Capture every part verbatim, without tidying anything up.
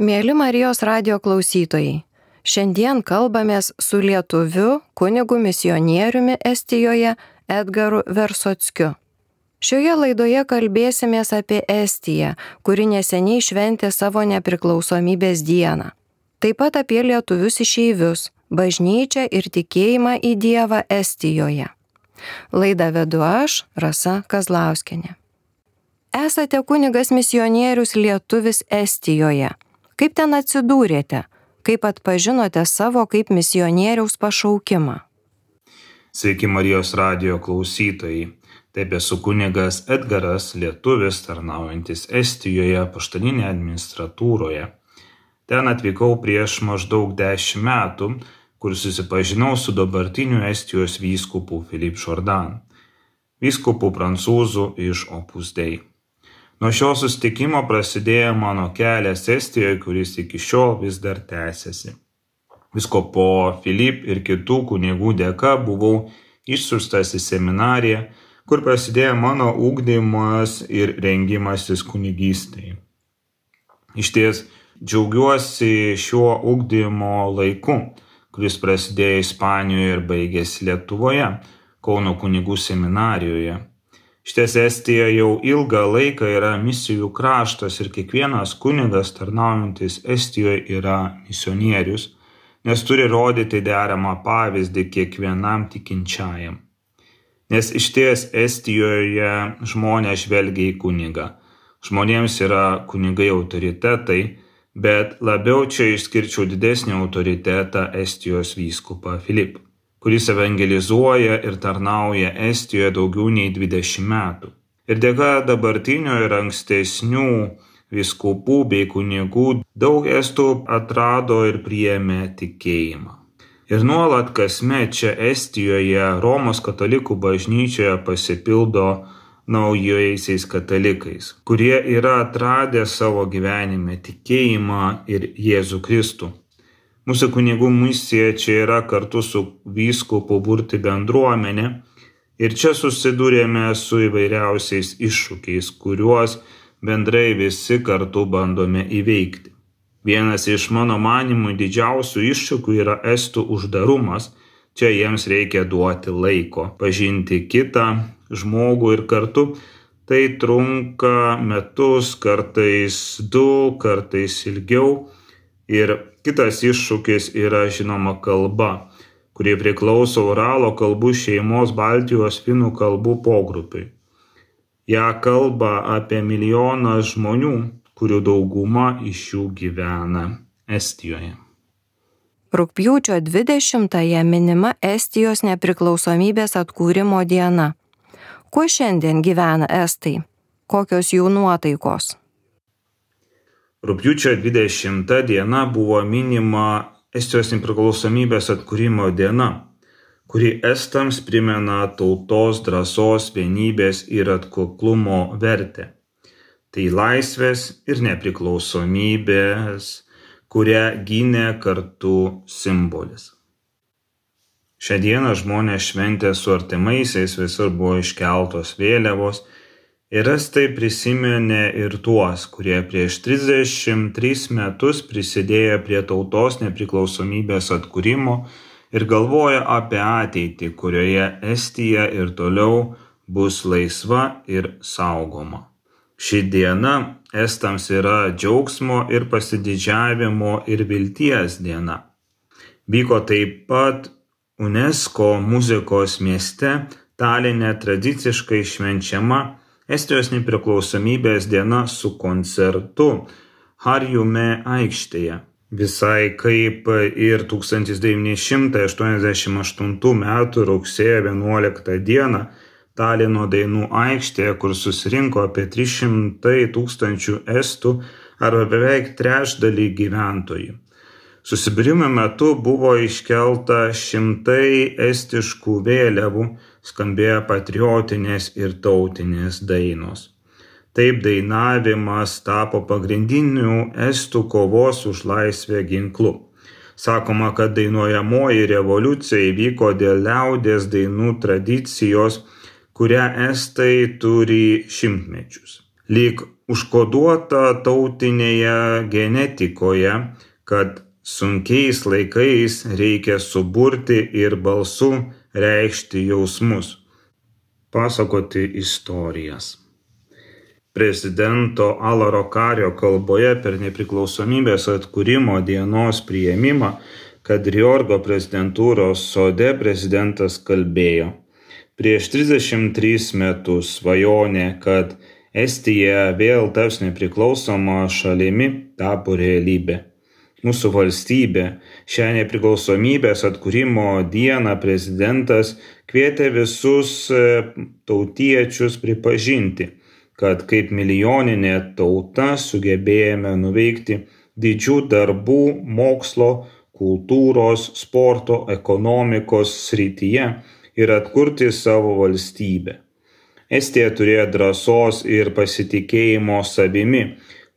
Mieli Marijos radijo klausytojai, šiandien kalbamės su lietuviu kunigu misionieriumi Estijoje Edgaru Versockiu. Šioje laidoje kalbėsimės apie Estiją, kuri neseniai šventė savo nepriklausomybės dieną. Taip pat apie lietuvius išeivius, bažnyčią ir tikėjimą į Dievą Estijoje. Laidą vedu aš, Rasa Kazlauskienė. Esate kunigas misionierius lietuvis Estijoje. Kaip ten atsidūrėte? Kaip atpažinote savo kaip misionieriaus pašaukimą? Sveiki Marijos radijo klausytojai. Taip esu kunigas Edgaras, lietuvis, tarnaujantis Estijoje apaštalinėje administratūroje. Ten atvykau prieš maždaug dešimt metų, kur susipažinau su dabartiniu Estijos vyskupu Philippe Jourdan, vyskupu prancūzų iš Opus Dei. Nuo šio susitikimo prasidėjo mano kelias Estijoje, kuris iki šiol vis dar tęsiasi. Vyskupo Philippe ir kitų kunigų dėka buvau išsiųstas į seminariją, kur prasidėjo mano ugdymas ir rengimasis kunigystei. Išties džiaugiuosi šiuo ugdymo laiku, kuris prasidėjo Ispanijoje ir baigėsi Lietuvoje, Kauno kunigų seminarijoje. Šties Estija jau ilgą laiką yra misijų kraštas ir kiekvienas kunigas tarnaujantis Estijoje yra misionierius, nes turi rodyti deramą pavyzdį kiekvienam tikinčiajam. Nes išties Estijoje žmonės žvelgia į kunigą. Žmonėms yra kunigai autoritetai, bet labiau čia išskirčiau didesnį autoritetą Estijos vyskupą Philippe, kuris evangelizuoja ir tarnauja Estijoje daugiau nei dvidešimt metų. Ir dėka dabartinių ir ankstesnių vyskupų bei kunigų daug estų atrado ir priėmė tikėjimą. Ir nuolat kasmet čia Estijoje Romos katalikų bažnyčioje pasipildo naujaisiais katalikais, kurie yra atradę savo gyvenime tikėjimą ir Jėzų Kristų. Mūsų kunigų misija čia yra kartu su vyskupu burti bendruomenę ir čia susidūrėme su įvairiausiais iššūkiais, kuriuos bendrai visi kartu bandome įveikti. Vienas iš mano manymų didžiausių iššūkių yra estų uždarumas. Čia jiems reikia duoti laiko, pažinti kitą žmogų ir kartu tai trunka metus, kartais du, kartais ilgiau. Ir kitas iššūkis yra žinoma kalba, kuri priklauso Uralo kalbų šeimos Baltijos finų kalbų pogrupiui. Ja kalba apie milijoną žmonių, kurių dauguma iš jų gyvena Estijoje. Rugpjūčio dvidešimtąją minima Estijos nepriklausomybės atkūrimo diena. Kuo šiandien gyvena estai? Kokios jų nuotaikos? Rugpjūčio dvidešimta diena buvo minima Estijos nepriklausomybės atkūrimo diena, kuri estams primena tautos drąsos, vienybės ir atkaklumo vertę. Tai laisvės ir nepriklausomybės, kurią gynė kartu simbolis. Šią dieną žmonės šventė su artimaisiais, visur buvo iškeltos vėliavos. Ir estai prisiminė ir tuos, kurie prieš trisdešimt tris metus prisidėjo prie tautos nepriklausomybės atkūrimo ir galvoja apie ateitį, kurioje Estija ir toliau bus laisva ir saugoma. Ši diena estams yra džiaugsmo ir pasididžiavimo ir vilties diena. Vyko taip pat UNESCO muzikos mieste Taline tradiciškai švenčiama Estijos nepriklausomybės diena su koncertu Harjumäe aikštėje. Visai kaip ir tūkstantis devyni šimtai aštuoniasdešimt aštuntų metų rugsėjo vienuoliktą dieną Talino dainų aikštėje, kur susirinko apie trys šimtai tūkstančių estų arba beveik trečdalį gyventojų. Susibūrimo metu buvo iškelta šimtai estiškų vėliavų, skambėjo patriotinės ir tautinės dainos. Taip dainavimas tapo pagrindiniu estų kovos už laisvę ginklu. Sakoma, kad dainuojamoji revoliucija įvyko dėl liaudies dainų tradicijos, kurią estai turi šimtmečius. lyg užkoduota tautinėje genetikoje, kad sunkiais laikais reikia suburti ir balsu reikšti jausmus, pasakoti istorijas. Prezidento Alaro Kario kalboje per nepriklausomybės atkūrimo dienos priėmimą Kadriorgo prezidentūros sode prezidentas kalbėjo: prieš trisdešimt tris metus svajonė, kad Estija vėl taps nepriklausoma šalimi, tapo realybė. Mūsų valstybė šią nepriklausomybės atkūrimo dieną prezidentas kvietė visus tautiečius pripažinti, kad kaip milijoninė tauta sugebėjome nuveikti didžių darbų mokslo, kultūros, sporto, ekonomikos srityje ir atkurti savo valstybę. Estija turėjo drąsos ir pasitikėjimo savimi,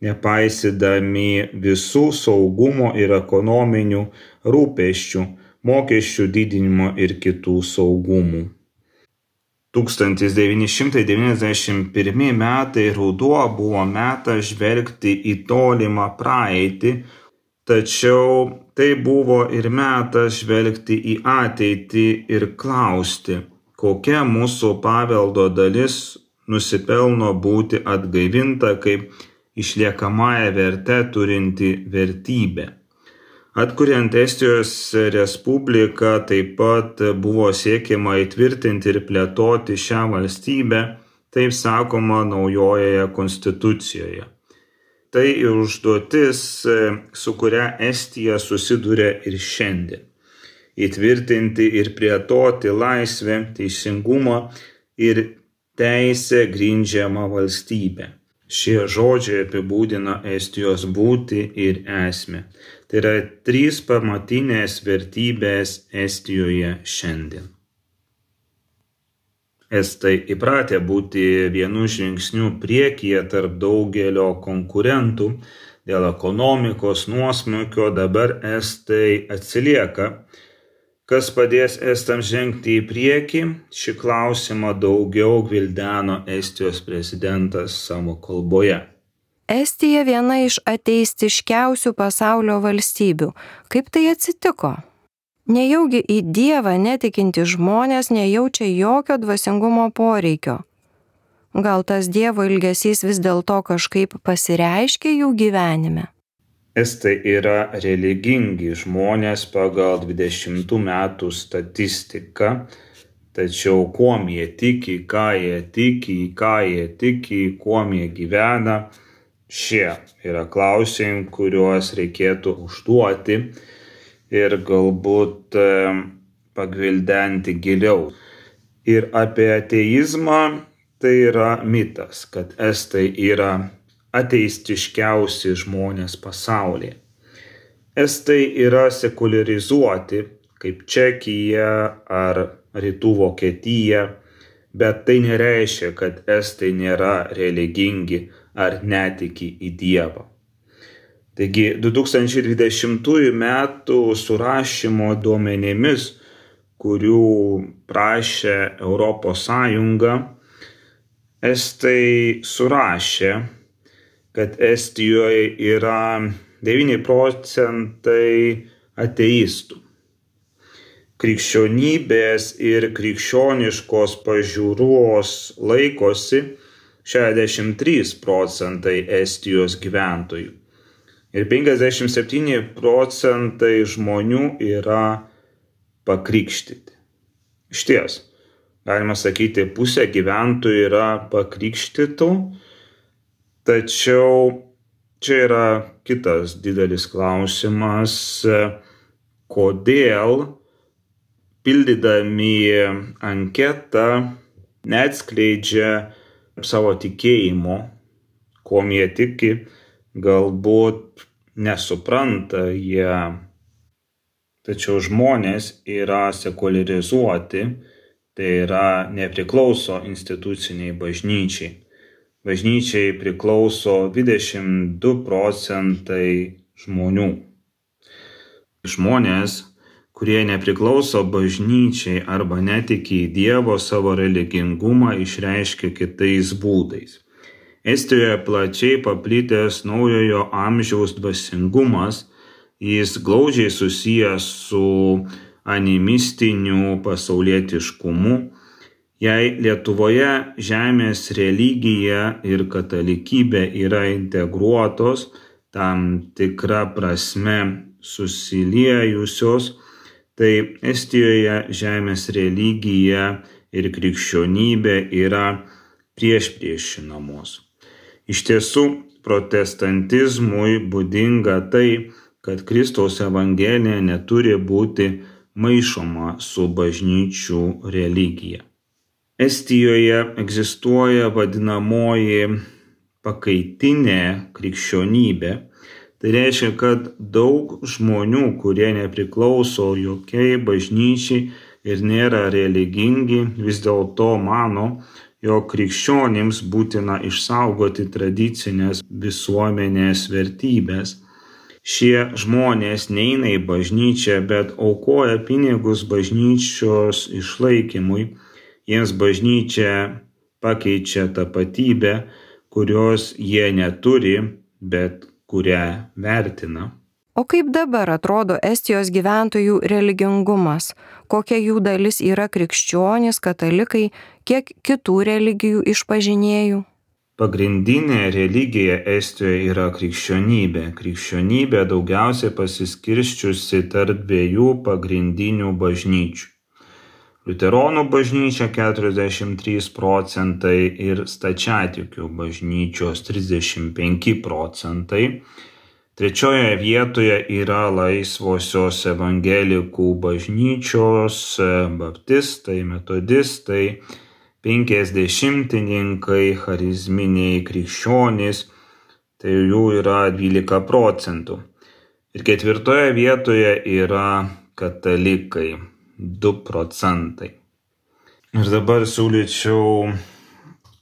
nepaisydami visų saugumo ir ekonominių rūpesčių, mokesčių didinimo ir kitų saugumų. tūkstantis devyni šimtai devyniasdešimt pirmi metai ruduo buvo metas žvelgti į tolimą praeitį, tačiau tai buvo ir metas žvelgti į ateitį ir klausti, kokia mūsų paveldo dalis nusipelno būti atgaivinta kaip išliekamąją vertę turinti vertybė. Atkuriant Estijos Respubliką taip pat buvo siekiama įtvirtinti ir plėtoti šią valstybę, taip sakoma naujojoje konstitucijoje. Tai užduotis, su kuria Estija susiduria ir šiandien. Įtvirtinti ir plėtoti laisvę, teisingumą ir teisę grindžiamą valstybę. Šie žodžiai apibūdina Estijos būtį ir esmę. Tai yra trys pamatinės vertybės Estijoje šiandien. Estai įpratę būti vienu žingsniu priekyje tarp daugelio konkurentų. Dėl ekonomikos nuosmukio dabar estai atsilieka. Kas padės estams žengti į priekį? Šį klausimą daugiau gvildeno Estijos prezidentas savo kalboje. Estija viena iš ateistiškiausių pasaulio valstybių. Kaip tai atsitiko? Nejaugi į Dievą netikinti žmonės nejaučia jokio dvasingumo poreikio. Gal tas Dievo ilgesys vis dėlto kažkaip pasireiškia jų gyvenime? Estai yra religingi žmonės pagal dvidešimtų metų statistiką, tačiau kuom jie tiki, ką jie tiki, ką jie tiki, kuom jie gyvena, šie yra klausimai, kuriuos reikėtų užduoti ir galbūt pagvildenti giliau. Ir apie ateizmą tai yra mitas, kad estai yra ateistiškiausi žmonės pasaulyje. Estai yra sekularizuoti, kaip Čekija ar Rytų Vokietija, bet tai nereiškia, kad estai nėra religingi ar netiki į Dievą. Taigi du tūkstančiai dvidešimtųjų metų surašymo duomenimis, kurių prašė Europos Sąjunga, estai surašė, kad Estijoje yra devyni procentai ateistų. Krikščionybės ir krikščioniškos pažiūros laikosi šešiasdešimt trys procentai Estijos gyventojų. Ir penkiasdešimt septyni procentai žmonių yra pakrikštyti. Išties, galima sakyti, pusė gyventojų yra pakrikštytų. Tačiau čia yra kitas didelis klausimas, kodėl pildydami anketą neatskleidžia savo tikėjimo, kuom jie tiki, galbūt nesupranta jie. Tačiau žmonės yra sekularizuoti, tai yra nepriklauso instituciniai bažnyčiai. Bažnyčiai priklauso dvidešimt du procentai žmonių. Žmonės, kurie nepriklauso bažnyčiai arba netiki į Dievo, savo religingumą išreiškia kitais būdais. Estijoje plačiai paplitęs naujojo amžiaus dvasingumas, jis glaudžiai susijęs su animistiniu pasaulietiškumu. Jei Lietuvoje žemės religija ir katalikybė yra integruotos, tam tikra prasme susiliejusios, tai Estijoje žemės religija ir krikščionybė yra priešpriešinamos. Iš tiesų, protestantizmui būdinga tai, kad Kristaus evangelija neturi būti maišoma su bažnyčių religija. Estijoje egzistuoja vadinamoji pakaitinė krikščionybė. Tai reiškia, kad daug žmonių, kurie nepriklauso jokiai bažnyčiai ir nėra religingi, vis dėlto mano, jog krikščionims būtina išsaugoti tradicinės visuomenės vertybės. Šie žmonės neina į bažnyčią, bet aukoja pinigus bažnyčios išlaikymui. Jiems bažnyčia pakeičia tapatybę, kurios jie neturi, bet kurią vertina. O kaip dabar atrodo Estijos gyventojų religingumas? Kokia jų dalis yra krikščionys, katalikai, kiek kitų religijų išpažinėjų? Pagrindinė religija Estijoje yra krikščionybė. Krikščionybė daugiausiai pasiskirsčiusi tarp dviejų pagrindinių bažnyčių. Liuteronų bažnyčia keturiasdešimt trys procentai ir stačiatikių bažnyčios trisdešimt penki procentai. Trečioje vietoje yra laisvosios evangelikų bažnyčios, baptistai, metodistai, penkiasdešimtininkai, charizminiai krikščionys, tai jų yra dvylika procentų. Ir ketvirtoje vietoje yra katalikai, du procentai. Ir dabar siūlyčiau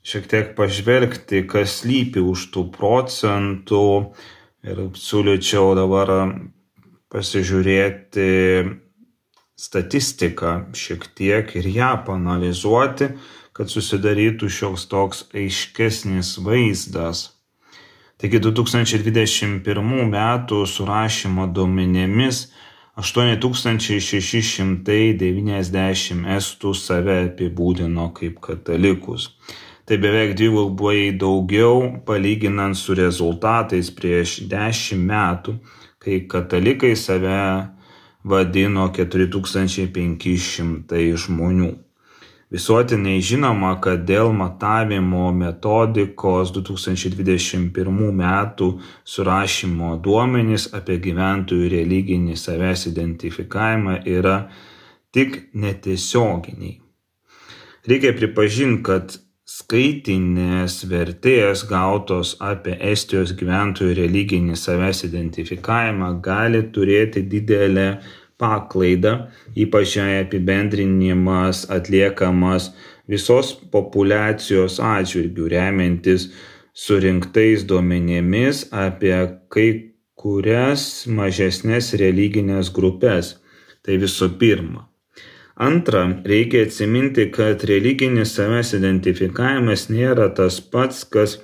šiek tiek pažvelgti, kas slypi už tų procentų. Ir siūlyčiau dabar pasižiūrėti statistiką šiek tiek ir ją paanalizuoti, kad susidarytų šioks toks aiškesnis vaizdas. Taigi du tūkstančiai dvidešimt pirmų metų surašymo duomenimis aštuoni tūkstančiai šeši šimtai devyniasdešimt estų save apibūdino kaip katalikus. Tai beveik dvigubai daugiau palyginant su rezultatais prieš dešimt metų, kai katalikai save vadino keturi tūkstančiai penki šimtai žmonių. Visuotinai žinoma, kad dėl matavimo metodikos du tūkstančiai dvidešimt pirmų metų surašymo duomenys apie gyventojų religinį savęs identifikavimą yra tik netiesioginiai. Reikia pripažinti, kad skaitinės vertės gautos apie Estijos gyventojų religinį savęs identifikavimą gali turėti didelę paklaidą, ypač jei apibendrinimas atliekamas visos populiacijos atžvilgių, remiantis surinktais duomenimis apie kai kurias mažesnės religinės grupės. Tai visų pirma. Antra, reikia atsiminti, kad religinis savęs identifikavimas nėra tas pats, kas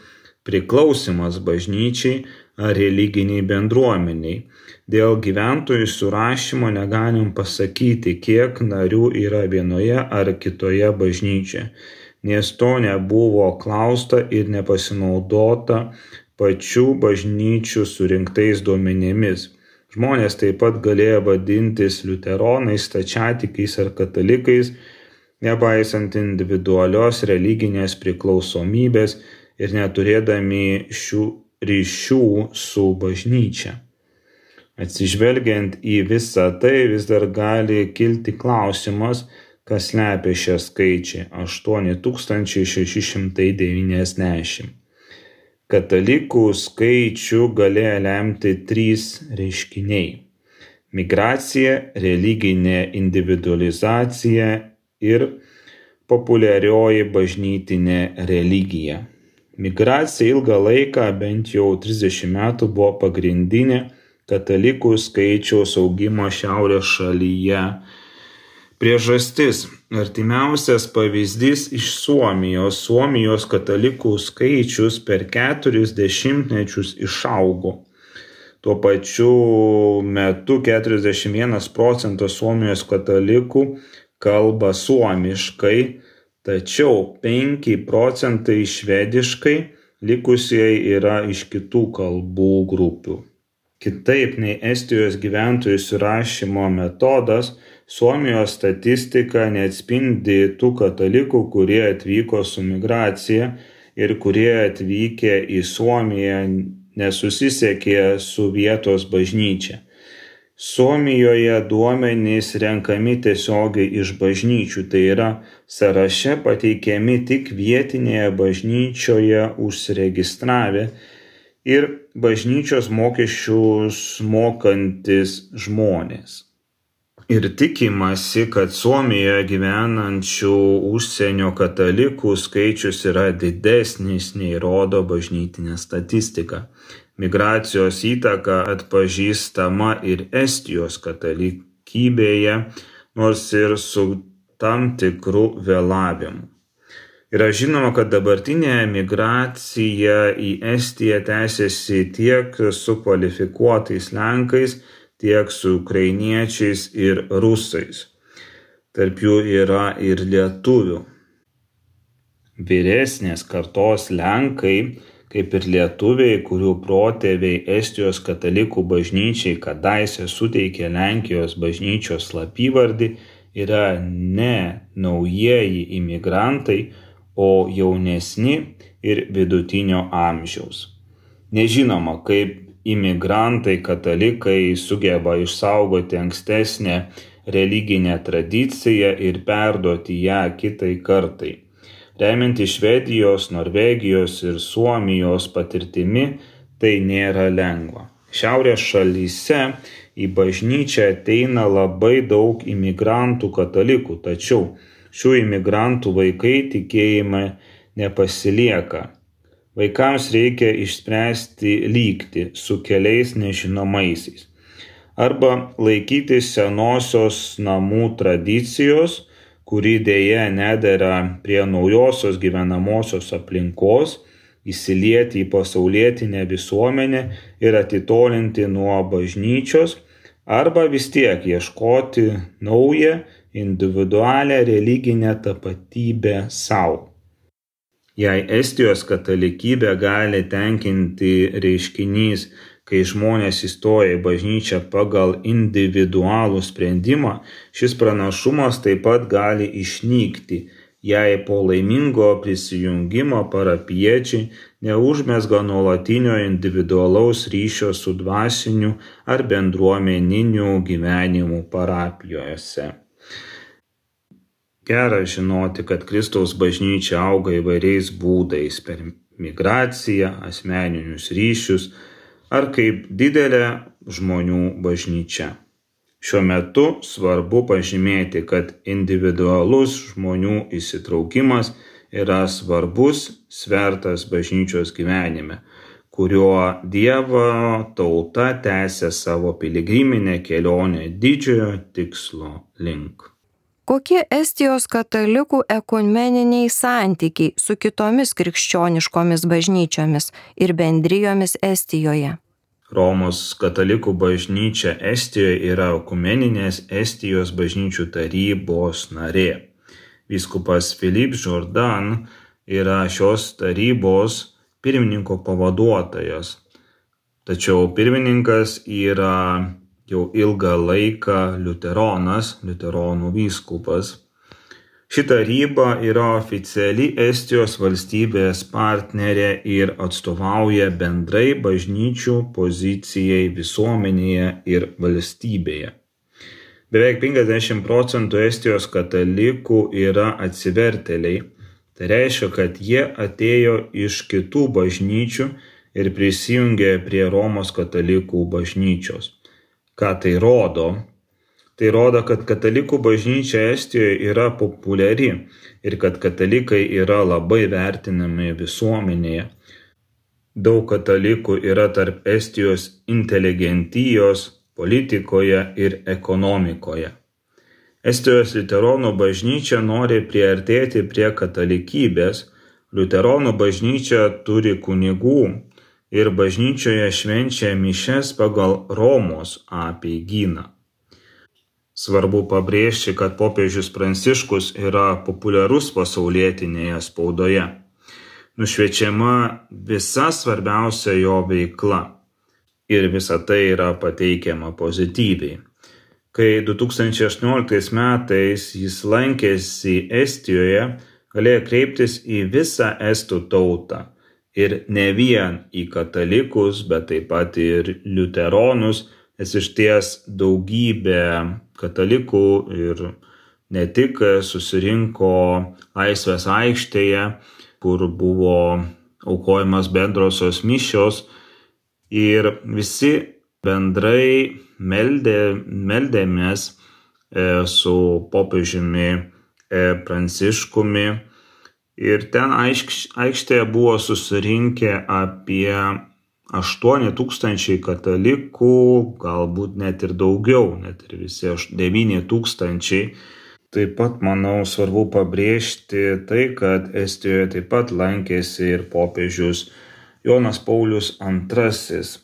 priklausimas bažnyčiai ar religiniai bendruomeniai. Dėl gyventojų surašymo negalim pasakyti, kiek narių yra vienoje ar kitoje bažnyčioje, nes to nebuvo klausta ir nepasinaudota pačių bažnyčių surinktais duomenimis. Žmonės taip pat galėjo vadintis liuteronais, stačiatikais ar katalikais, nepaisant individualios religinės priklausomybės ir neturėdami šių ryšių su bažnyčia. Atsižvelgiant į visą tai, vis dar gali kilti klausimas, kas slepia šią skaičių – aštuoni tūkstančiai šeši šimtai devyniasdešimt. Katalikų skaičių galėjo lemti trys reiškiniai – migracija, religinė individualizacija ir populiarioji bažnytinė religija. Migracija ilgą laiką, bent jau trisdešimt metų, buvo pagrindinė katalikų skaičiaus augimo šiaurės šalyje Priežastis. Artimiausias pavyzdys iš Suomijos. Suomijos katalikų skaičius per keturis dešimtmečius išaugo. Tuo pačiu metu keturiasdešimt vienas procentas Suomijos katalikų kalba suomiškai, tačiau penki procentai švediškai, likusieji yra iš kitų kalbų grupių. Kitaip nei Estijos gyventojų surašymo metodas, Suomijos statistika neatspindi tų katalikų, kurie atvyko su migracija ir kurie atvykę į Suomiją nesusisiekė su vietos bažnyčia. Suomijoje duomenys renkami tiesiogiai iš bažnyčių, tai yra sąraše pateikiami tik vietinėje bažnyčioje užsiregistravę ir bažnyčios mokesčius mokantis žmonės. Ir tikimasi, kad Suomijoje gyvenančių užsienio katalikų skaičius yra didesnis nei rodo bažnytinė statistika. Migracijos įtaka atpažįstama ir Estijos katalikybėje, nors ir su tam tikru vėlavimu. Yra žinoma, kad dabartinė migracija į Estiją tęsiasi tiek su kvalifikuotais Lenkais, tiek su ukrainiečiais ir rusais. Tarp jų yra ir lietuvių. Vyresnės kartos Lenkai, kaip ir lietuviai, kurių protėviai Estijos katalikų bažnyčiai kadaise suteikė Lenkijos bažnyčios slapyvardį, yra ne naujieji imigrantai, o jaunesni ir vidutinio amžiaus. Nežinoma, kaip imigrantai katalikai sugeba išsaugoti ankstesnę religinę tradiciją ir perduoti ją kitai kartai. Remiantis Švedijos, Norvegijos ir Suomijos patirtimi, tai nėra lengva. Šiaurės šalyse į bažnyčią ateina labai daug imigrantų katalikų, tačiau šių imigrantų vaikai tikėjimą nepasilieka. Vaikams reikia išspręsti lygtį su keliais nežinomaisiais. Arba laikytis senosios namų tradicijos, kuri dėja nedera prie naujosios gyvenamosios aplinkos, įsilieti į pasaulietinę visuomenę ir atitolinti nuo bažnyčios, arba vis tiek ieškoti naują individualią religinę tapatybę savo. Jei Estijos katalikybę gali tenkinti reiškinys, kai žmonės įstoja į bažnyčią pagal individualų sprendimą, šis pranašumas taip pat gali išnykti, jei po laimingo prisijungimo parapiečiai neužmezga nuolatinio individualaus ryšio su dvasiniu ar bendruomeniniu gyvenimu parapijose. Gera žinoti, kad Kristaus bažnyčia auga įvairiais būdais per migraciją, asmeninius ryšius ar kaip didelė žmonių bažnyčia. Šiuo metu svarbu pažymėti, kad individualus žmonių įsitraukimas yra svarbus svertas bažnyčios gyvenime, kuriuo Dievo tauta tęsia savo piligriminę kelionę didžiojo tikslo link. Kokie Estijos katalikų ekumeniniai santykiai su kitomis krikščioniškomis bažnyčiomis ir bendrijomis Estijoje? Romos katalikų bažnyčia Estijoje yra ekumeninės Estijos bažnyčių tarybos narė. Vyskupas Philippe Jourdan yra šios tarybos pirmininko pavaduotojas, tačiau pirmininkas yra jau ilgą laiką liuteronas, liuteronų vyskupas. Ši taryba yra oficiali Estijos valstybės partnerė ir atstovauja bendrai bažnyčių pozicijai visuomenėje ir valstybėje. Beveik penkiasdešimt procentų Estijos katalikų yra atsivertėliai. Tai reiškia, kad jie atėjo iš kitų bažnyčių ir prisijungė prie Romos katalikų bažnyčios. Ką tai rodo? Tai rodo, kad katalikų bažnyčia Estijoje yra populiari ir kad katalikai yra labai vertinami visuomenėje. Daug katalikų yra tarp Estijos inteligentijos, politikoje ir ekonomikoje. Estijos liuteronų bažnyčia nori priartėti prie katalikybės. Liuteronų bažnyčia turi kunigų ir bažnyčioje švenčia mišias pagal Romos apeigyną. Svarbu pabrėžti, kad popiežius Pranciškus yra populiarus pasaulietinėje spaudoje. Nušviečiama visa svarbiausia jo veikla ir visa tai yra pateikiama pozityviai. Kai du tūkstančiai aštuonioliktais metais jis lankėsi Estijoje, galėjo kreiptis į visą estų tautą ir ne vien į katalikus, bet taip pat ir liuteronus, nes išties daugybė katalikų ir ne tik susirinko Laisvės aikštėje, kur buvo aukojamas bendrosios mišios ir visi bendrai meldė, meldėmės su popiežiumi Pranciškumi ir ten aikštėje buvo susirinkę apie aštuoni tūkstančiai katalikų, galbūt net ir daugiau, net ir visi devyni tūkstančiai. Taip pat, manau, svarbu pabrėžti tai, kad Estijoje taip pat lankėsi ir popiežius Jonas Paulius antrasis.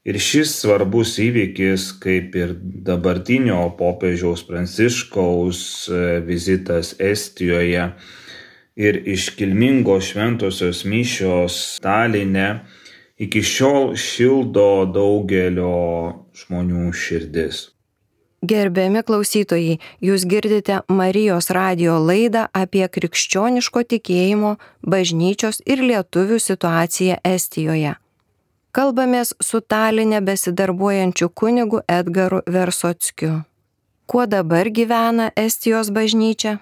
Ir šis svarbus įvykis, kaip ir dabartinio popiežiaus Pranciškaus vizitas Estijoje ir iškilmingos šventosios mišios Taline, iki šiol šildo daugelio žmonių širdis. Gerbiami klausytojai, jūs girdite Marijos radijo laidą apie krikščioniško tikėjimo, bažnyčios ir lietuvių situaciją Estijoje. Kalbamės su Taline besidarbuojančiu kunigu Edgaru Versockiu. Kuo dabar gyvena Estijos bažnyčia?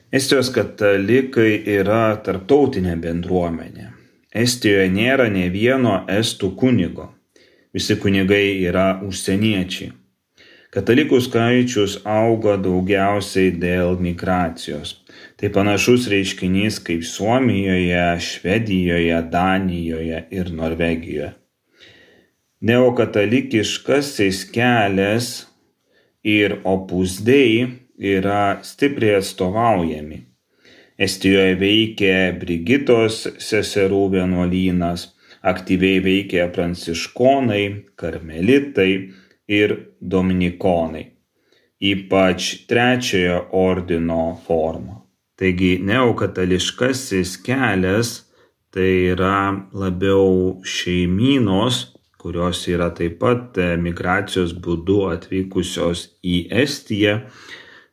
Estijos katalikai yra tarptautinė bendruomenė. Estijoje nėra nė vieno estų kunigo. Visi kunigai yra užsieniečiai. Katalikų skaičius auga daugiausiai dėl migracijos. Tai panašus reiškinys kaip Suomijoje, Švedijoje, Danijoje ir Norvegijoje. Neokatalikiškasis kelias ir Opus Dei yra stipriai atstovaujami. Estijoje veikia Brigitos seserų vienuolynas, aktyviai veikia pranciškonai, karmelitai ir dominikonai, ypač trečiojo ordino forma. Taigi neokatališkasis kelias tai yra labiau šeimynos, kurios yra taip pat migracijos būdu atvykusios į Estiją,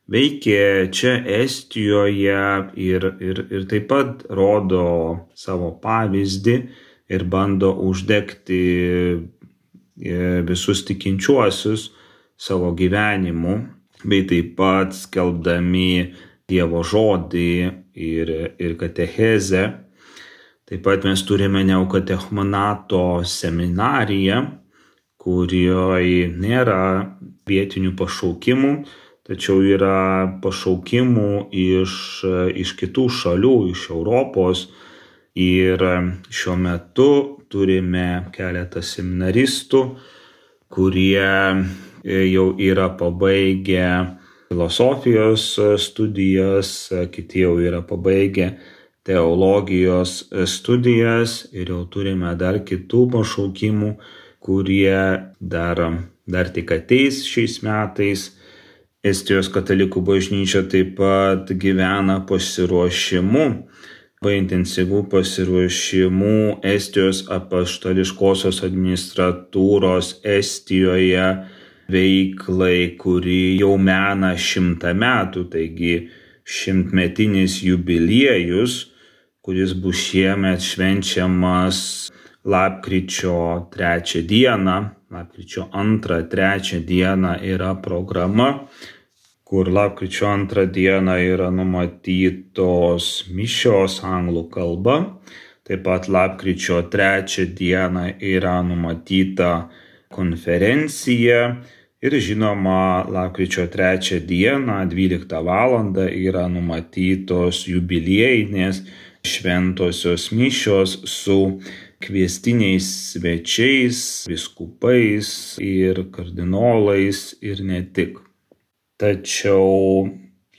veikia čia Estijoje ir, ir, ir taip pat rodo savo pavyzdį ir bando uždegti visus tikinčiuosius savo gyvenimu, bei taip pat skelbdami Dievo žodį ir, ir katechezę. Taip pat mes turime neokatechumanato seminariją, kurioje nėra vietinių pašaukimų, tačiau yra pašaukimų iš, iš kitų šalių, iš Europos. Ir šiuo metu turime keletą seminaristų, kurie jau yra pabaigę filosofijos studijas, kiti jau yra pabaigę teologijos studijas ir jau turime dar kitų pašaukimų, kurie dar, dar tik ateis šiais metais. Estijos katalikų bažnyčia taip pat gyvena pasiruošimu, labai intensyvų pasiruošimu Estijos apaštališkosios administratūros Estijoje veiklai, kuri jau mena šimtą metų, taigi šimtmetinis jubiliejus, kuris bus šiemet švenčiamas lapkričio trečią dieną. Lapkričio antrą, trečią dieną yra programa, kur lapkričio antrą dieną yra numatytos mišios anglų kalba. Taip pat lapkričio trečią dieną yra numatyta konferencija ir žinoma, lapkričio trečią dieną, dvyliktą valandą yra numatytos jubiliejinės šventosios mišios su kviestiniais svečiais, vyskupais ir kardinolais ir ne tik. Tačiau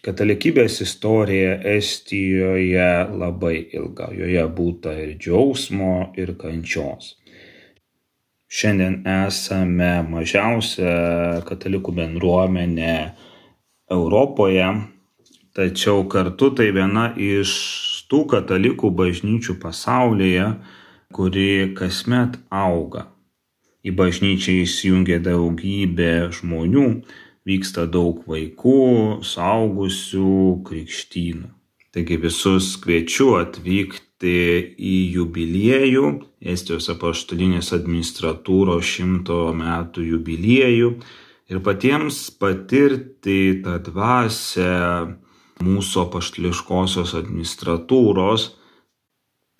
katalikybės istorija Estijoje labai ilga, joje būta ir džiaugsmo, ir kančios. Šiandien esame mažiausia katalikų bendruomenė Europoje, tačiau kartu tai viena iš tų katalikų bažnyčių pasaulyje, kuri kasmet auga. Į bažnyčią įsijungia daugybė žmonių, vyksta daug vaikų, suaugusių, krikštynų. Taigi visus kviečiu atvykti į jubiliejų, Estijos apaštalinės administratūros šimto metų jubiliejų ir patiems patirti tą dvasią mūsų apaštališkosios administratūros.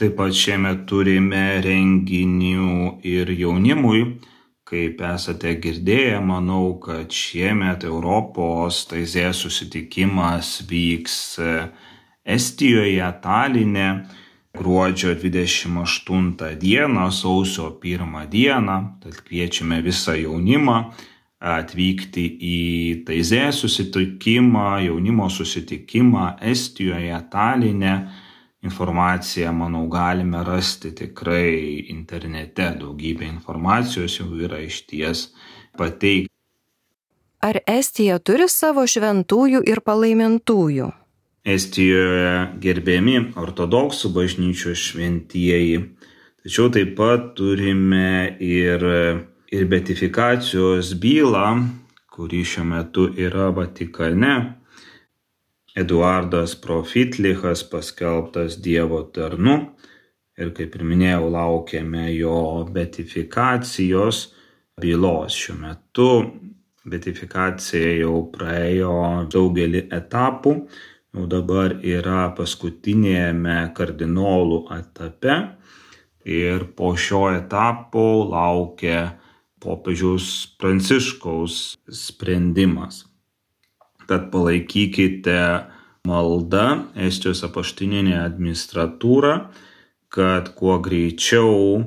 Taip pat šiemet turime renginių ir jaunimui. Kaip esate girdėję, manau, kad šiemet Europos taizės susitikimas vyks Estijoje, Taline, gruodžio dvidešimt aštuntą dieną, sausio pirmą dieną. Tad kviečiame visą jaunimą atvykti į taizės susitikimą, jaunimo susitikimą Estijoje, Taline. Informaciją, manau, galime rasti tikrai internete, daugybė informacijos jau yra išties pateikta. Ar Estija turi savo šventųjų ir palaimintųjų? Estijoje gerbiami ortodoksų bažnyčios šventieji, tačiau taip pat turime ir, ir beatifikacijos bylą, kuri šiuo metu yra Vatikane. Eduardas Profitlichas paskelbtas Dievo tarnu ir, kaip ir minėjau, laukiame jo beatifikacijos bylos. Šiuo metu beatifikacija jau praėjo daugelį etapų, jau dabar yra paskutinėme kardinolų etape ir po šio etapo laukia popiežiaus Pranciškaus sprendimas. Tad palaikykite maldą Estijos apaštalinę administratūrą, kad kuo greičiau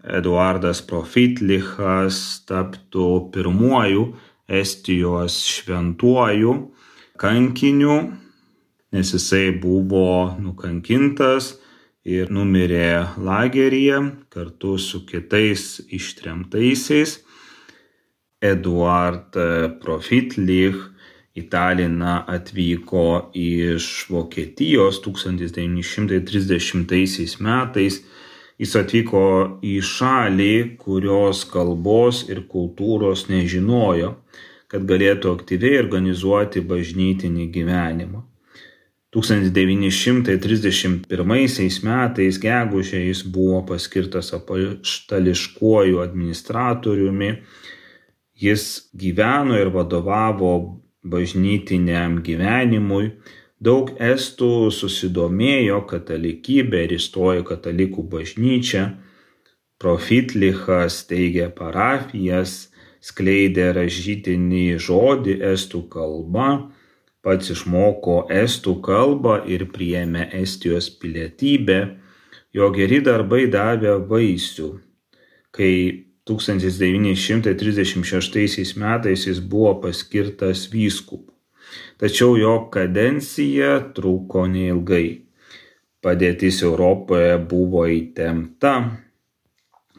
Eduardas Profitlichas taptų pirmuoju Estijos šventuoju kankiniu, nes jisai buvo nukankintas ir numirė lageryje kartu su kitais ištremtaisiais. Eduard Profitlich į Taliną atvyko iš Vokietijos tūkstantis devyni šimtai trisdešimtaisiais metais. Jis atvyko į šalį, kurios kalbos ir kultūros nežinojo, kad galėtų aktyviai organizuoti bažnytinį gyvenimą. tūkstantis devyni šimtai trisdešimt pirmaisiais metais gegužę jis buvo paskirtas apaštališkuoju administratoriumi. Jis gyveno ir vadovavo bažnytiniam gyvenimui. Daug estų susidomėjo katalikybė ir įstojo katalikų bažnyčią. Profitlichas steigė parapijas, skleidė rašytinį žodį estų kalba, pats išmoko estų kalbą ir priėmė Estijos pilietybę. Jo geri darbai davė vaisių. Kai tūkstantis devyni šimtai trisdešimt šeštaisiais metais jis buvo paskirtas vyskupu. Tačiau jo kadencija truko neilgai. Padėtis Europoje buvo įtempta,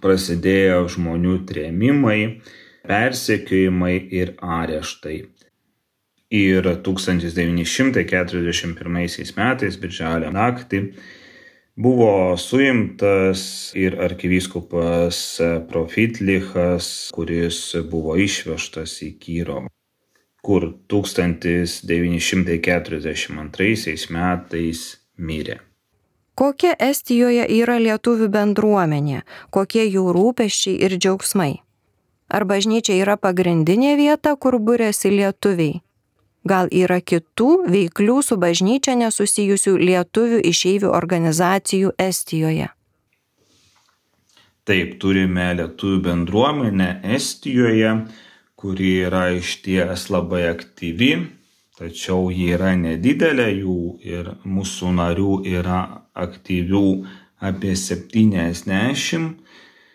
prasidėjo žmonių trėmimai, persekiojimai ir areštai. Ir tūkstantis devyni šimtai keturiasdešimt pirmaisiais metais, birželio naktį, buvo suimtas ir arkivyskupas Profitlichas, kuris buvo išvežtas į Kirovą, kur tūkstantis devyni šimtai keturiasdešimt antraisiais metais mirė. Kokia Estijoje yra lietuvių bendruomenė, kokie jų rūpesčiai ir džiaugsmai? Ar bažnyčia yra pagrindinė vieta, kur buriasi lietuviai? Gal yra kitų veiklių su bažnyčia nesusijusių lietuvių išeivių organizacijų Estijoje? Taip, turime lietuvių bendruomenę Estijoje, kuri yra išties labai aktyvi, tačiau ji yra nedidelė, jų ir mūsų narių yra aktyvių apie septyniasdešimt.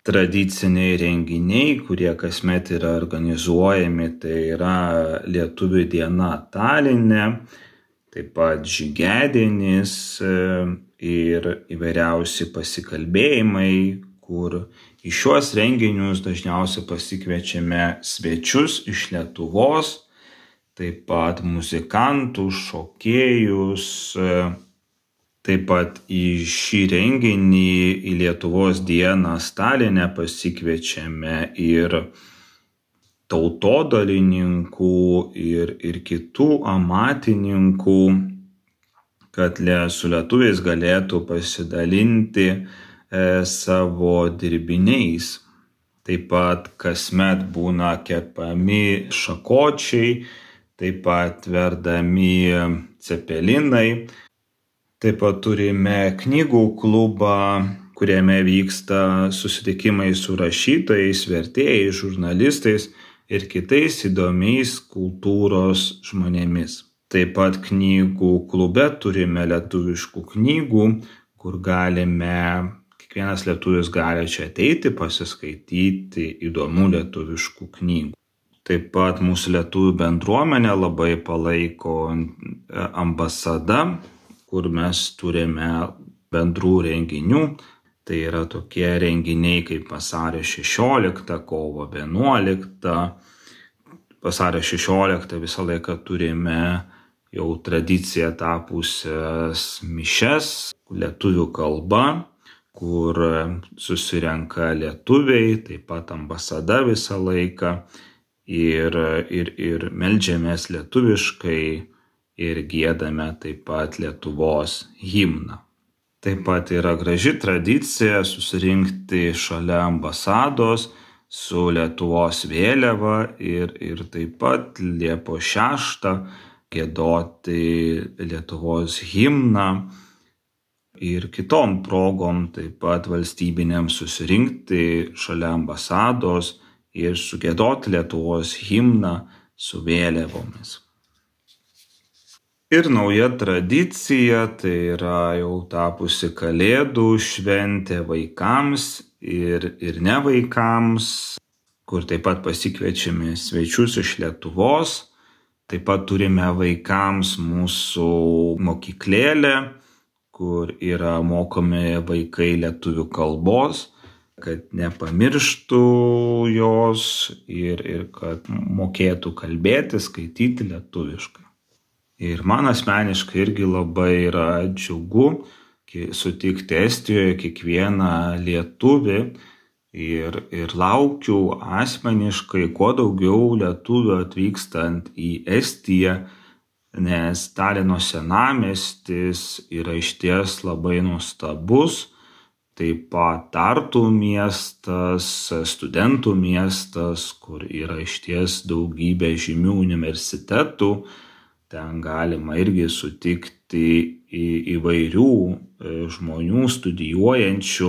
Tradiciniai renginiai, kurie kasmet yra organizuojami, tai yra Lietuvių diena Taline, taip pat žygiadienis ir įvairiausi pasikalbėjimai, kur į šiuos renginius dažniausiai pasikviečiame svečius iš Lietuvos, taip pat muzikantus, šokėjus. Taip pat į šį renginį, į Lietuvos dieną Taline pasikviečiame ir tautodalininkų, ir, ir kitų amatininkų, kad su lietuviais galėtų pasidalinti e, savo dirbiniais. Taip pat kasmet būna kepami šakočiai, taip pat verdami cepelinai. Taip pat turime knygų klubą, kuriame vyksta susitikimai su rašytojais, vertėjais, žurnalistais ir kitais įdomiais kultūros žmonėmis. Taip pat knygų klube turime lietuviškų knygų, kur galime, kiekvienas lietuvis gali čia ateiti, pasiskaityti įdomių lietuviškų knygų. Taip pat mūsų lietuvių bendruomenė labai palaiko ambasadą, kur mes turime bendrų renginių. Tai yra tokie renginiai kaip vasario šešioliktą, kovo vienuoliktą. Vasario šešioliktą visą laiką turime jau tradiciją tapusias mišias lietuvių kalba, kur susirenka lietuviai, taip pat ambasada visą laiką ir, ir, ir meldžiamės lietuviškai. Ir giedame taip pat Lietuvos himną. Taip pat yra graži tradicija susirinkti šalia ambasados su Lietuvos vėliava ir, ir taip pat Liepos šeštą giedoti Lietuvos himną ir kitom progom taip pat valstybinėm susirinkti šalia ambasados ir sugiedoti Lietuvos himną su vėliavomis. Ir nauja tradicija, tai yra jau tapusi Kalėdų šventė vaikams ir, ir ne vaikams, kur taip pat pasikviečiame svečius iš Lietuvos. Taip pat turime vaikams mūsų mokyklėlę, kur yra mokomi vaikai lietuvių kalbos, kad nepamirštų jos ir, ir kad mokėtų kalbėti, skaityti lietuviškai. Ir man asmeniškai irgi labai yra džiugu sutikti Estijoje kiekvieną lietuvį ir, ir laukiu asmeniškai kuo daugiau lietuvių atvykstant į Estiją, nes Talino senamiestis yra išties labai nuostabus, taip pat Tartu miestas, studentų miestas, kur yra išties daugybė žymių universitetų. Ten galima irgi sutikti į, įvairių žmonių studijuojančių.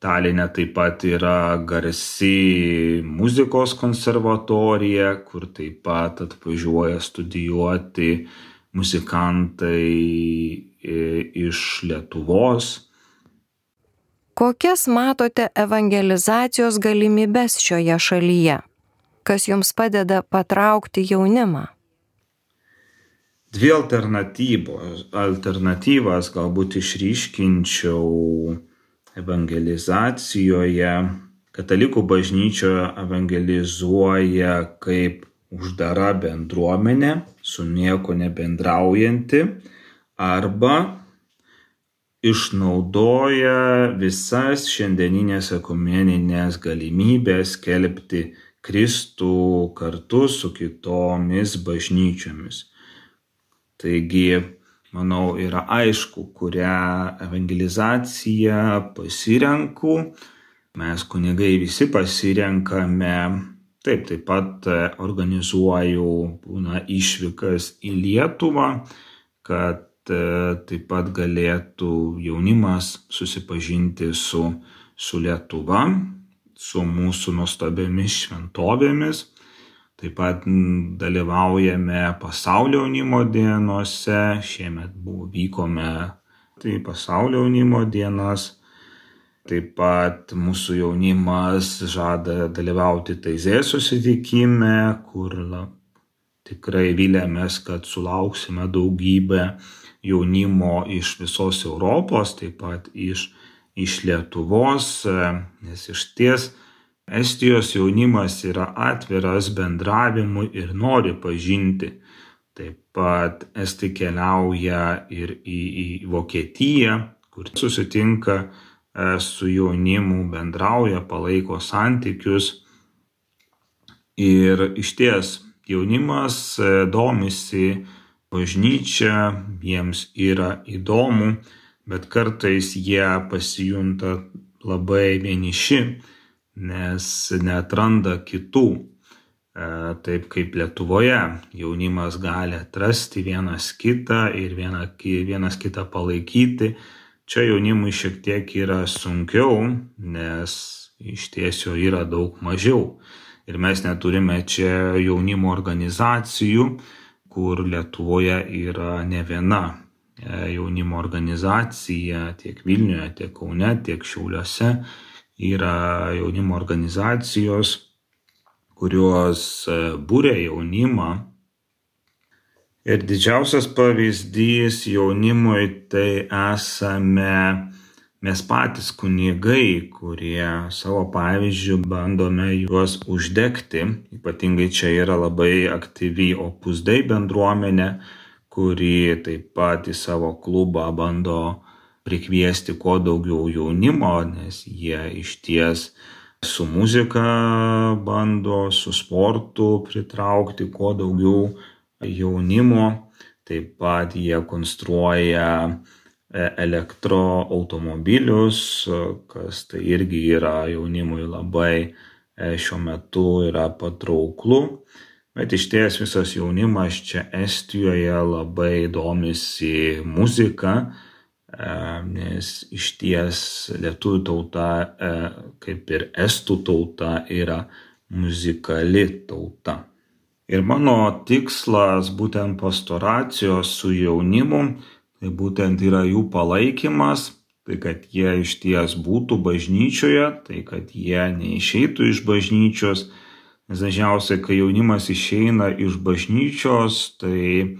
Taline taip pat yra garsi muzikos konservatorija, kur taip pat atvažiuoja studijuoti muzikantai iš Lietuvos. Kokias matote evangelizacijos galimybes šioje šalyje? Kas jums padeda patraukti jaunimą? Dvi alternatyvos, alternatyvas galbūt išryškinčiau evangelizacijoje. Katalikų bažnyčia evangelizuoja kaip uždara bendruomenė, su nieko nebendraujanti, arba išnaudoja visas šiandieninės ekumeninės galimybės skelbti Kristų kartu su kitomis bažnyčiomis. Taigi, manau, yra aišku, kurią evangelizaciją pasirenku. Mes kunigai visi pasirenkame. Taip, taip pat organizuoju būna išvykas į Lietuvą, kad taip pat galėtų jaunimas susipažinti su, su Lietuva, su mūsų nuostabiomis šventovėmis. Taip pat dalyvaujame pasaulio jaunimo dienose. Šiemet buvo, vykome tai pasaulio jaunimo dienas. Taip pat mūsų jaunimas žada dalyvauti Taizė susitikime, kur la, tikrai vilėmės, kad sulauksime daugybę jaunimo iš visos Europos, taip pat iš, iš Lietuvos, nes iš ties Estijos jaunimas yra atviras bendravimui ir nori pažinti. Taip pat estai keliauja ir į, į Vokietiją, kur susitinka su jaunimu, bendrauja, palaiko santykius. Ir išties jaunimas domisi bažnyčia, jiems yra įdomu, bet kartais jie pasijunta labai vieniši, nes neatranda kitų. Taip kaip Lietuvoje jaunimas gali atrasti vienas kitą ir vienas kitą palaikyti. Čia jaunimui šiek tiek yra sunkiau, nes iš tiesio yra daug mažiau. Ir mes neturime čia jaunimo organizacijų, kur Lietuvoje yra ne viena jaunimo organizacija, tiek Vilniuje, tiek Kaune, tiek Šiauliuose yra jaunimo organizacijos, kurios būria jaunimą. Ir didžiausias pavyzdys jaunimui tai esame mes patys kunigai, kurie savo pavyzdžių bandome juos uždegti. Ypatingai čia yra labai aktyvi Opus Dei bendruomenė, kuri taip pat į savo klubą bando prikviesti kuo daugiau jaunimo, nes jie išties su muzika bando, su sportu pritraukti kuo daugiau jaunimo. Taip pat jie konstruoja elektroautomobilius, kas tai irgi yra jaunimui labai šiuo metu yra patrauklu. Bet išties visas jaunimas čia Estijoje labai domisi muzika, nes išties lietuvių tauta, kaip ir estų tauta, yra muzikali tauta. Ir mano tikslas būtent pastoracijos su jaunimu, tai būtent yra jų palaikymas, tai kad jie išties būtų bažnyčioje, tai kad jie neišeitų iš bažnyčios, nes dažniausiai, kai jaunimas išeina iš bažnyčios, tai,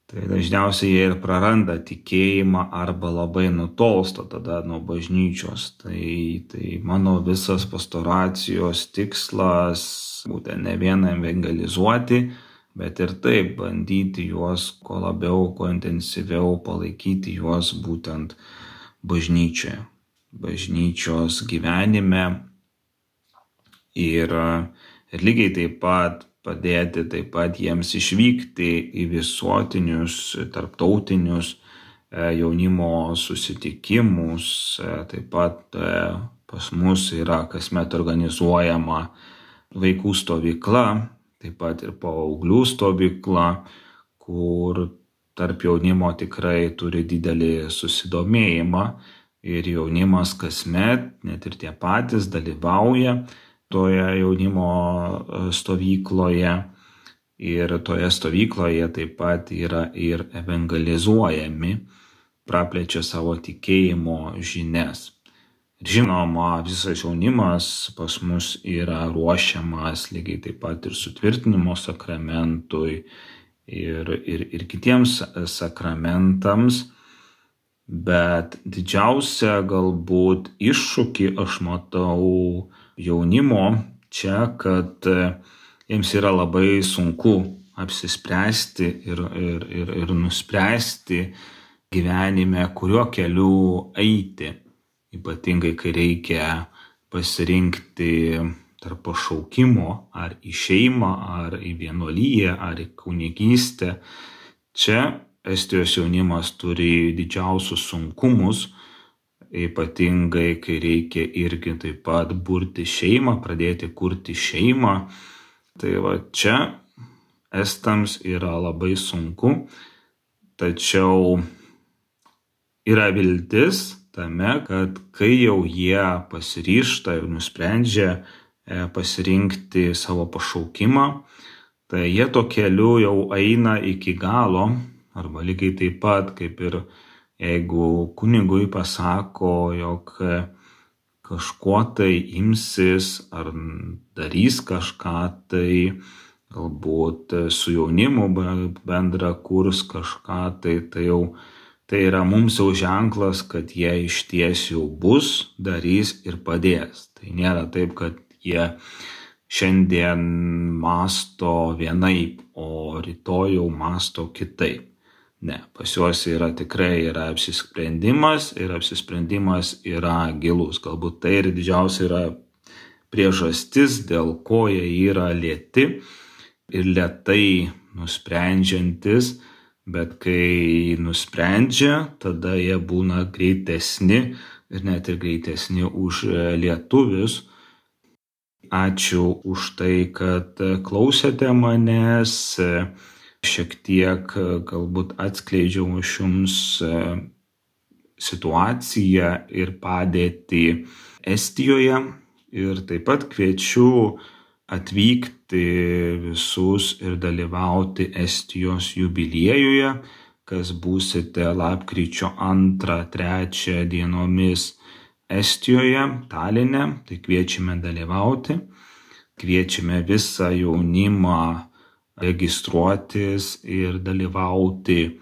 tai dažniausiai jie ir praranda tikėjimą arba labai nutolsta tada nuo bažnyčios. Tai, tai mano visas pastoracijos tikslas būtent ne vien evangelizuoti, bet ir taip bandyti juos kuo labiau, kuo intensyviau palaikyti juos būtent bažnyčioje, bažnyčios gyvenime ir, ir lygiai taip pat padėti taip pat jiems išvykti į visuotinius, tarptautinius jaunimo susitikimus. Taip pat pas mus yra kasmet organizuojama vaikų stovykla, taip pat ir paauglių stovykla, kur tarp jaunimo tikrai turi didelį susidomėjimą ir jaunimas kasmet, net ir tie patys, dalyvauja toje jaunimo stovykloje ir toje stovykloje taip pat yra ir evangelizuojami, praplečia savo tikėjimo žinias. Žinoma, visas jaunimas pas mus yra ruošiamas lygiai taip pat ir sutvirtinimo sakramentui ir, ir, ir kitiems sakramentams, bet didžiausia galbūt iššūkį aš matau jaunimo čia, kad jiems yra labai sunku apsispręsti ir, ir, ir, ir nuspręsti gyvenime, kuriuo keliu eiti. Ypatingai, kai reikia pasirinkti tarp pašaukimo ar į šeimą, ar į vienuoliją, ar į kunigystę. Čia Estijos jaunimas turi didžiausius sunkumus, ypatingai, kai reikia irgi taip pat burti šeimą, pradėti kurti šeimą. Tai va čia estams yra labai sunku, tačiau yra viltis tame, kad kai jau jie pasiryžta ir nusprendžia pasirinkti savo pašaukimą, tai jie to keliu jau eina iki galo, arba lygiai taip pat kaip ir Jeigu kunigui pasako, jog kažkuo tai imsis ar darys kažką, tai galbūt su jaunimu bendra kurs kažką, tai tai jau tai yra mums jau ženklas, kad jie išties jau bus, darys ir padės. Tai nėra taip, kad jie šiandien masto vienaip, o rytoj jau masto kitaip. Ne, pas juos yra tikrai yra apsisprendimas ir apsisprendimas yra gilus. Galbūt tai ir didžiausia yra priežastis, dėl ko jie yra lėti ir lėtai nusprendžiantis, bet kai nusprendžia, tada jie būna greitesni ir net ir greitesni už lietuvius. Ačiū už tai, kad klausėte manęs. Šiek tiek galbūt atskleidžiau aš jums situaciją ir padėtį Estijoje ir taip pat kviečiu atvykti visus ir dalyvauti Estijos jubiliejuje, kas būsite lapkričio antrą trečią dienomis Estijoje, Taline, tai kviečiame dalyvauti, kviečiame visą jaunimą registruotis ir dalyvauti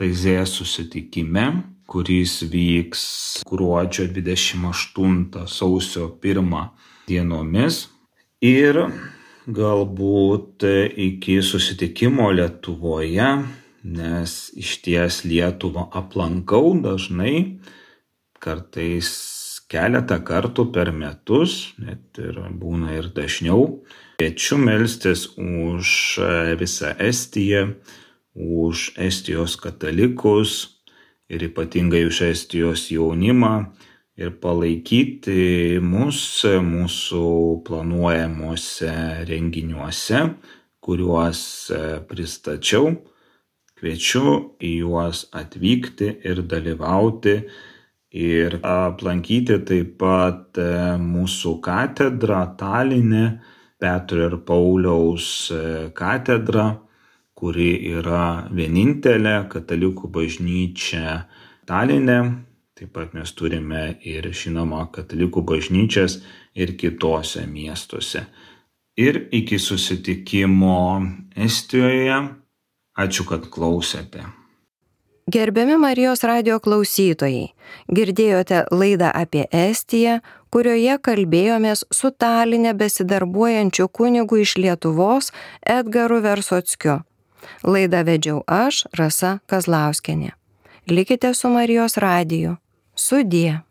Taizė susitikime, kuris vyks gruodžio dvidešimt aštuntą sausio pirmą dienomis. Ir galbūt iki susitikimo Lietuvoje, nes išties Lietuvą aplankau dažnai, kartais keletą kartų per metus, net ir būna ir dažniau. Kviečiu melstis už visą Estiją, už Estijos katalikus ir ypatingai už Estijos jaunimą ir palaikyti mus mūsų planuojamuose renginiuose, kuriuos pristačiau. Kviečiu į juos atvykti ir dalyvauti ir aplankyti taip pat mūsų katedrą Taline, Petro ir Pauliaus katedra, kuri yra vienintelė katalikų bažnyčia Taline. Taip pat mes turime ir žinoma katalikų bažnyčias ir kitose miestuose. Ir iki susitikimo Estijoje. Ačiū, kad klausėte. Gerbiami Marijos radijo klausytojai, girdėjote laidą apie Estiją, kurioje kalbėjomės su Taline besidarbuojančiu kunigu iš Lietuvos Edgaru Versockiu. Laidą vedžiau aš, Rasa Kazlauskienė. Likite su Marijos radiju. Sudie.